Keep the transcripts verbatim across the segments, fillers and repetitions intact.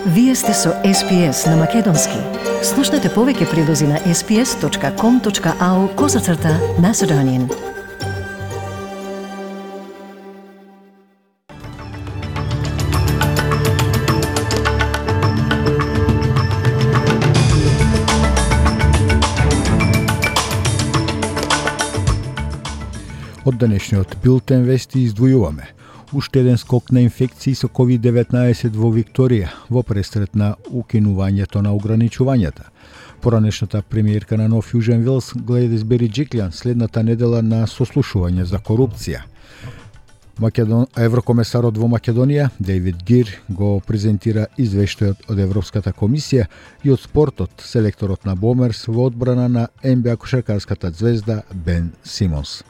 Вие сте со Ес Пи Ес на Македонски. Слушнете повеќе прилози на ес пи ес точка ком точка ау козацрта Macedonian. Од денешниот билтен вести издвојуваме уште еден скок на инфекции со ковид деветнаесет во Викторија во престрет на укинувањето на ограничувањата. Поранешната премиерка на Нов Јужен Велс Гледис Бериџиклјан следната недела на сослушување за корупција. Македон... Еврокомесарот во Македонија Дейвид Гир го презентира извештајот од Европската комисија и од спортот селекторот на Бомерс во одбрана на Ен Би А кошаркарската звезда Бен Симонс.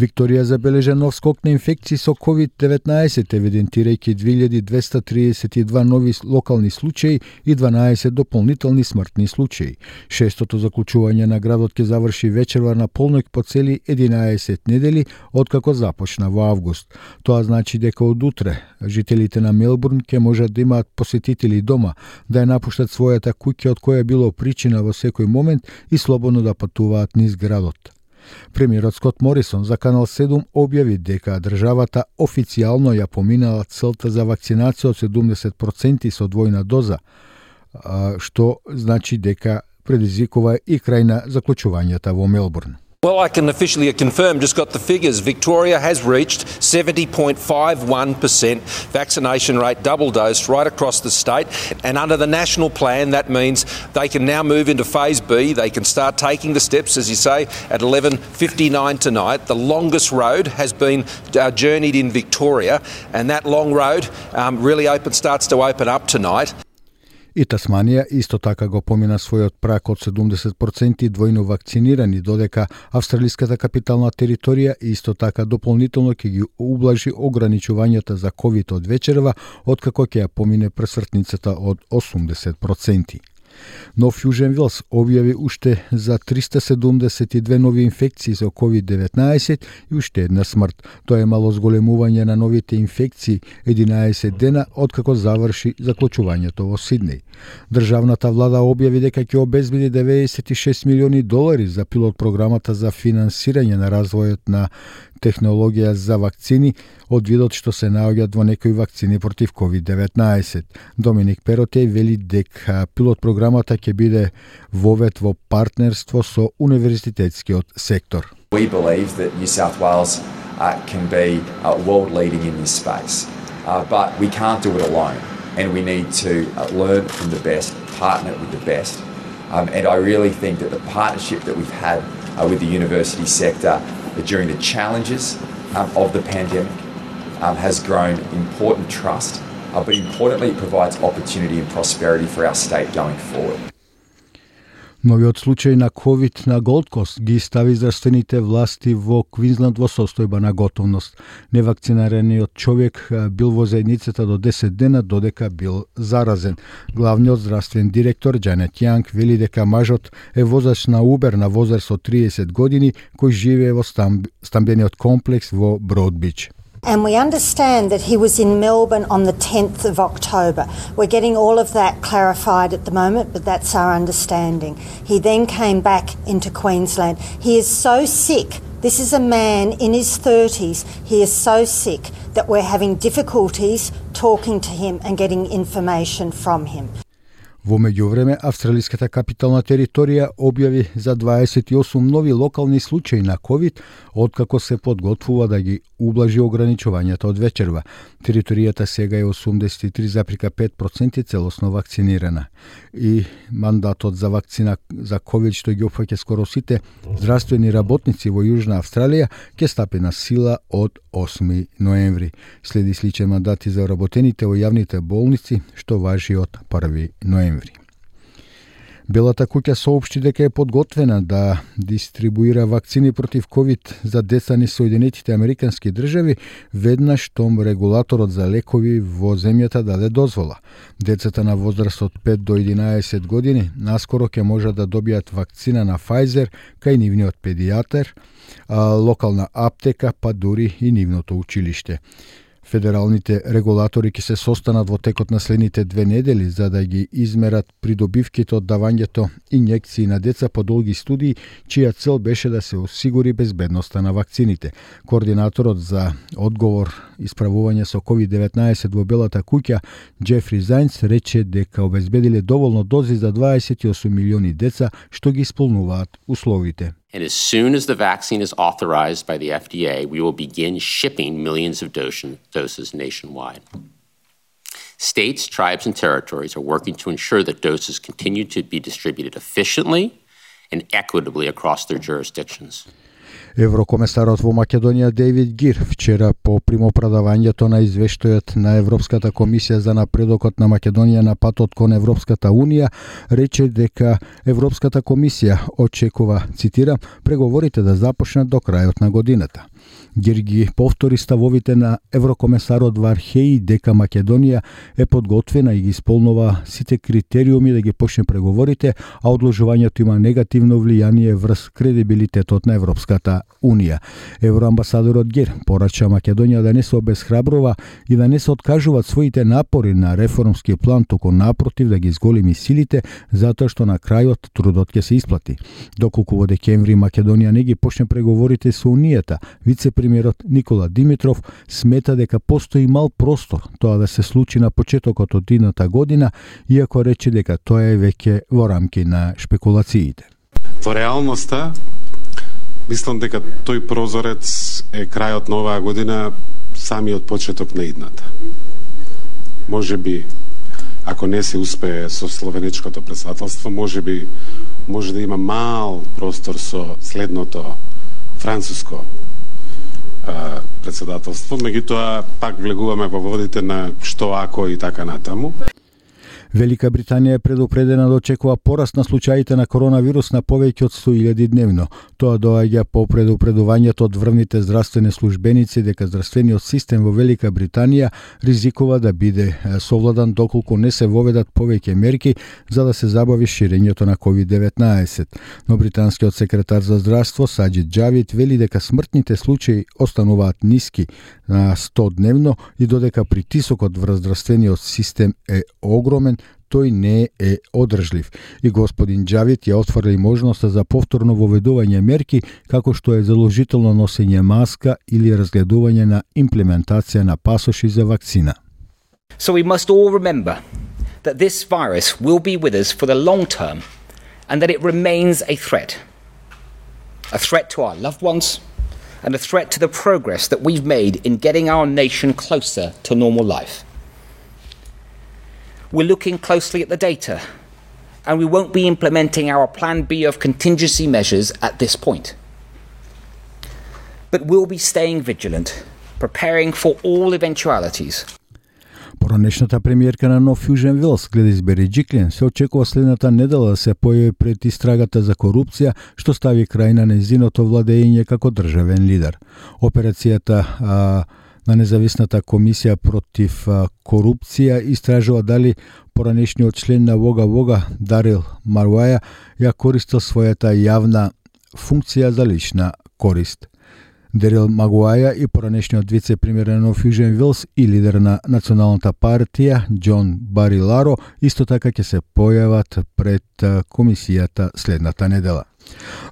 Викторија забележа нов скок на инфекции со ковид деветнаесет, евидентирајќи две илјади двеста триесет и два нови локални случаи и дванаесет дополнителни смртни случаи. Шестото заклучување на градот ќе заврши вечерва на полноќ по цели единаесет недели откако започна во август. Тоа значи дека од утре жителите на Мелбурн ќе можат да имаат посетители дома, да ја напуштат својата куќа од која било причина во секој момент и слободно да патуваат низ градот. Премиерот Скот Морисон за Канал седум објави дека државата официјално ја поминала целта за вакцинација од седумдесет проценти со двојна доза, што значи дека предизвикува и крај на заклучувањата во Мелбурн. Well, I can officially confirm, just got the figures. Victoria has reached seventy point five one percent vaccination rate, double dosed, right across the state. And under the national plan, that means they can now move into phase B. They can start taking the steps, as you say, at eleven fifty-nine tonight. The longest road has been uh, journeyed in Victoria, and that long road um, really open, starts to open up tonight. И Тасманија исто така го помина својот прак од седумдесет проценти двојно вакцинирани, додека австралиската капитална територија исто така дополнително ќе ги ублажи ограничувањата за ковид од вечерва, откако ќе ја помине пресвртницата од осумдесет проценти. Нов Јужен Велс објави уште за триста седумдесет и две нови инфекции со ковид деветнаесет и уште една смрт. Тоа е мало зголемување на новите инфекции единаесет дена откако заврши заклучувањето во Сиднеј. Државната влада објави дека ќе обезбеди деветдесет и шест милиони долари за пилот програмата за финансирање на развојот на технологија за вакцини од видот што се наоѓаат во некои вакцини против ковид деветнаесет. Доминик Перотеј вели дека пилот програмата ќе биде вовет во партнерство со универзитетскиот сектор. We believe that New South Wales uh, can be uh, world leading in this space, uh, but we can't do it alone, and we need to uh, learn from the best, partner with the best, um, and I really think that the partnership that we've had uh, with the university sector during the challenges um, of the pandemic um, has grown important trust, uh, but importantly it provides opportunity and prosperity for our state going forward. Новиот случај на ковид на Голд Кост ги стави здравствените власти во Квинсленд во состојба на готовност. Невакцинираниот човек бил во заедницата до десет дена додека бил заразен. Главниот здравствен директор Џанет Јанг вели дека мажот е возач на Убер на возраст од триесет години кој живее во стамб... стамбениот комплекс во Броудбич. And we understand that he was in Melbourne on the tenth of October. We're getting all of that clarified at the moment, but that's our understanding. He then came back into Queensland. He is so sick. This is a man in his thirties. He is so sick that we're having difficulties talking to him and getting information from him. Во меѓувреме, австралиската капитална територија објави за дваесет и осум нови локални случаи на ковид, откако се подготвува да ги ублажи ограничувањата од вечерва. Територијата сега е осумдесет и три запирка пет проценти целосно вакцинирана. И мандатот за вакцина за ковид, што ги опфаќа скоро сите здравствени работници во Јужна Австралија, ќе стапи на сила од осми ноември. Следи сличен мандат и за работените во јавните болници, што важи од први ноември. Белата куќа соопшти дека е подготвена да дистрибуира вакцини против ковид за деца низ Соединетите Американски држави веднаш штом регулаторот за лекови во земјата даде дозвола. Децата на возраст од пет до единаесет години наскоро ќе можат да добијат вакцина на Pfizer кај нивниот педијатар, локална аптека, па дури и нивното училиште. Федералните регулатори ќе се состанат во текот на следните две недели за да ги измерат придобивките од давањето инјекции на деца по долги студии, чија цел беше да се осигури безбедноста на вакцините. Координаторот за одговор и справување со ковид деветнаесет во Белата куќа, Джефри Зајнц, рече дека обезбедиле доволно дози за дваесет и осум милиони деца што ги исполнуваат условите. And as soon as the vaccine is authorized by the F D A, we will begin shipping millions of doses nationwide. States, tribes, and territories are working to ensure that doses continue to be distributed efficiently and equitably across their jurisdictions. Еврокомесарот во Македонија Дейвид Гир вчера по примопредавањето на извештајот на Европската комисија за напредокот на Македонија на патот кон Европската унија рече дека Европската комисија очекува, цитирам, преговорите да започнат до крајот на годината. Гир ги повтори ставовите на еврокомесарот Вархеи дека Македонија е подготвена и ги исполнува сите критериуми да ги почне преговорите, а одложувањето има негативно влијание врз кредибилитетот на Европската унија. Евроамбасадорот Гир порача Македонија да не се обесхрабрува и да не се откажуваат своите напори на реформски план, туку напротив да ги изголеми силите, затоа што на крајот трудот ќе се исплати. Доколку во декември Македонија не ги почне преговорите со Унијата, вице-премиерот Никола Димитров смета дека постои мал простор тоа да се случи на почетокот од идната година, иако рече дека тоа е веќе во рамки на шпекулациите. Во реалноста, мислам дека тој прозорец е крајот на оваа година, самиот почеток на идната. Може би, ако не се успее со словенечкото председателство, може би може да има мал простор со следното француско а, председателство, меѓутоа пак влегуваме во водите на што ако и така натаму. Велика Британија е предупредена да очекува пораст на случаите на коронавирус на повеќе од сто илјади дневно. Тоа доаѓа по предупредувањето од врвните здравствени службеници дека здравствениот систем во Велика Британија ризикува да биде совладан доколку не се воведат повеќе мерки за да се забави ширењето на ковид деветнаесет. Но британскиот секретар за здравство Саџид Џавид вели дека смртните случаи остануваат ниски на сто дневно и додека притисокот врз здравствениот систем е огромен, тој не е одржлив. И господин Џавид ја отврли можноста за повторно воведување мерки, како што е задолжително носење маска или разгледување на имплементација на пасоши за вакцина. So we must all remember that this virus will be with us for the long term and that it remains a threat. A threat to our loved ones and a threat to the progress that we've made in getting our nation closer to normal life. We're looking closely at the data, and we won't be implementing our Plan B of contingency measures at this point. But we'll be staying vigilant, preparing for all eventualities. Поранешната премиерка на Нов Јужен Велс, Гледис Береджиклиен, се очекува следната недела да се појави пред истрагата за корупција, што стави крај на незиното владење како државен лидер. Операцијата а, на независната комисија против а, корупција истражува дали поранешниот член на Вога Вога, Дарил Маруаја, ја користил својата јавна функција за лична корист. Дарил Магуаја и поранешниот вице-премиер на Нов Јужен Велс и лидер на Националната партија Џон Бариларо исто така ќе се појават пред комисијата следната недела.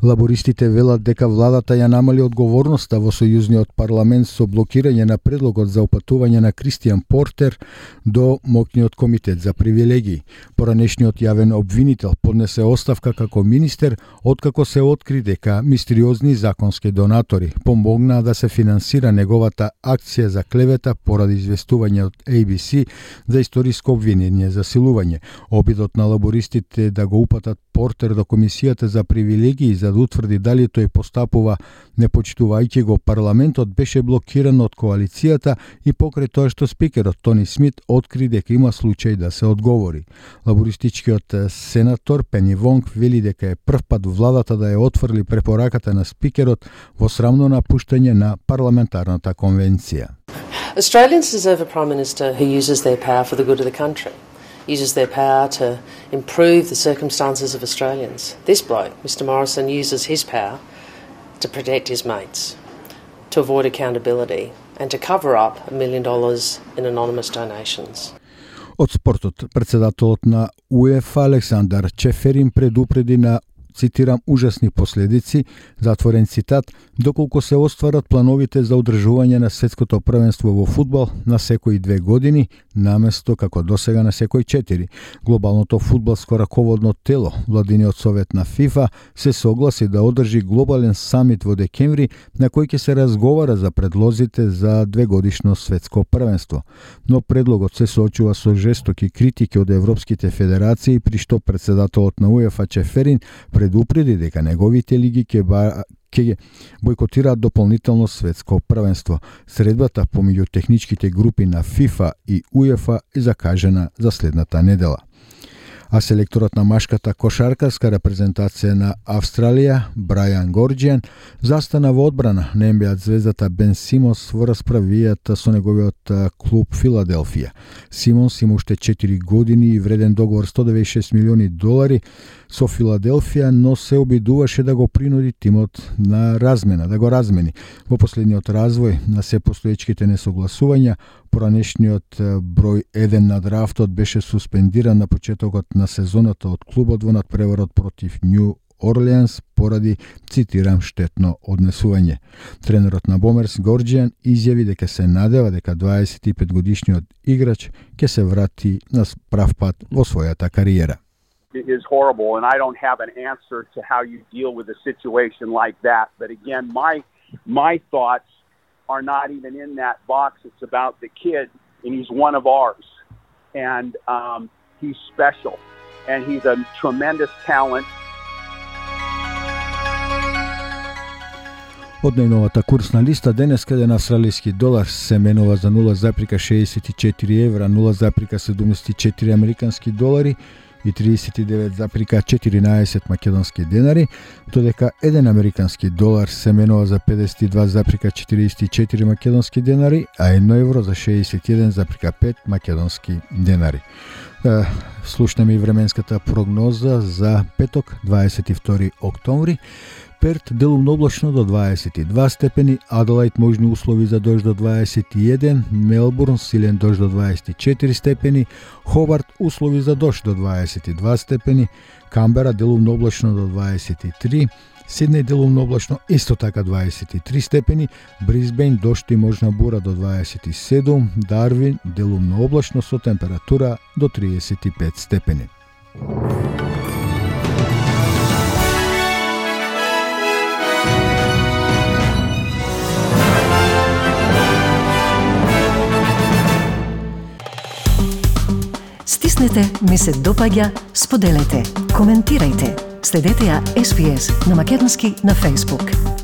Лабористите велат дека владата ја намали одговорноста во сојузниот парламент со блокирање на предлогот за опатување на Кристијан Портер до моќниот комитет за привилегии. Поранешниот јавен обвинител поднесе оставка како министер откако се откри дека мистериозни законски донатори помогнаа да се финансира неговата акција за клевета поради известување од А Б С за историско обвинение за силување. Обидот на лабористите да го упатат Портер до комисијата за привилегии за да утврди дали тој постапува непочитувајќи го парламентот беше блокиран од коалицијата и покрај тоа што спикерот Тони Смит откри дека има случај да се одговори. Лабористичкиот сенатор Пени Вонг вели дека е прв пат владата да ја отфрли препораката на спикерот во срамно напуштање на парламентарната конвенција. Australians deserve a Prime Minister who uses their power for the good of the country. Uses their power to improve the circumstances of Australians. This bloke, Mister Morrison, uses his power to protect his mates. to avoid accountability and to cover up a million dollars in anonymous donations. Од спортот, председателот на УЕФА Александар Чеферин предупреди на, цитирам, ужасни последици, затворен цитат, доколку се остварат плановите за одржување на светското првенство во фудбал на секои две години, наместо како досега на секои четири. Глобалното фудбалско раководно тело, владиниот совет на ФИФА, се согласи да одржи глобален самит во декември, на кој ќе се разговара за предлозите за двегодишно светско првенство. Но предлогот се соочува со жестоки критики од европските федерации, при што председателот на УЕФА Чеферин предупреди дека неговите лиги ќе ба ќе бојкотираат дополнително светско првенство. Средбата помеѓу техничките групи на ФИФА и УЕФА е закажена за следната недела. А селекторот на машката кошаркарска репрезентација на Австралија, Брајан Горџијан, застана во одбрана на Ен Би А звездата Бен Симонс во расправијата со неговиот клуб Филаделфија. Симонс има уште четири години и вреден договор сто деветдесет и шест милиони долари со Филаделфија, но се обидуваше да го принуди тимот на размена, да го размени. Во последниот развој на се постоечките несогласувања, поранешниот број еден на драфтот беше суспендиран на почетокот на сезоната од клубот во надпреварот против Нью Орлеанс поради, цитирам, штетно однесување. Тренерот на Бомерс Горџијан изјави дека се надева дека дваесет и пет годишниот играч ќе се врати на прав пат во својата кариера. It is horrible, and I don't have an answer to how you deal with a situation like that. But again, my my thoughts are not even in that box. It's about the kid, and he's one of ours, and um, he's special, and he's a tremendous talent. Од најновата курсна листа денеска еден австралиски долар се менува за нула запирка шеесет и четири евра, нула запирка седумдесет и четири американски долари и триесет и девет запирка четиринаесет македонски денари, додека еден американски долар се менува за педесет и два запирка четириесет и четири македонски денари, а едно евро за шеесет и еден запирка пет македонски денари. Слушнеме и временската прогноза за петок, дваесет и втори октомври. Перт делумно облачно до дваесет и два степени, Аделаид можни услови за дожд до дваесет и еден, Мелбурн силен дожд до дваесет и четири степени, Хобарт услови за дожд до дваесет и два степени, Камбера делумно облачно до дваесет и три, Сиднеј делумно облачно исто така дваесет и три степени, Брисбејн дожд и можна бура до дваесет и седум, Дарвин делумно облачно со температура до триесет и пет степени. Стиснете, ми се допаѓа, споделете, коментирајте. Следете ја Ес Би Ес на македонски на Facebook.